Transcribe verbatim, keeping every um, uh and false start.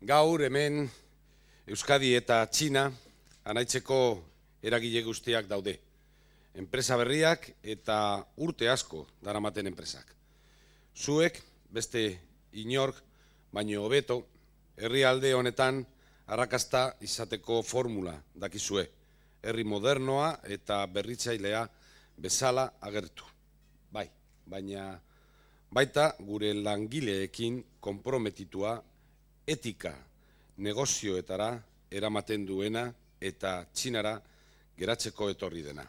Gaur hemen Euskadi eta Txina anaitzeko eragile guztiak daude. Enpresa berriak eta urte asko daramaten enpresak. Zuek, beste inork, baino hobeto, herrialde honetan arrakasta izateko formula dakizue. Herri modernoa eta berritzailea bezala agertu. Bai, baina baita gure langileekin konprometitua etika negozioetara eramaten duena eta Txinara geratzeko etorri dena.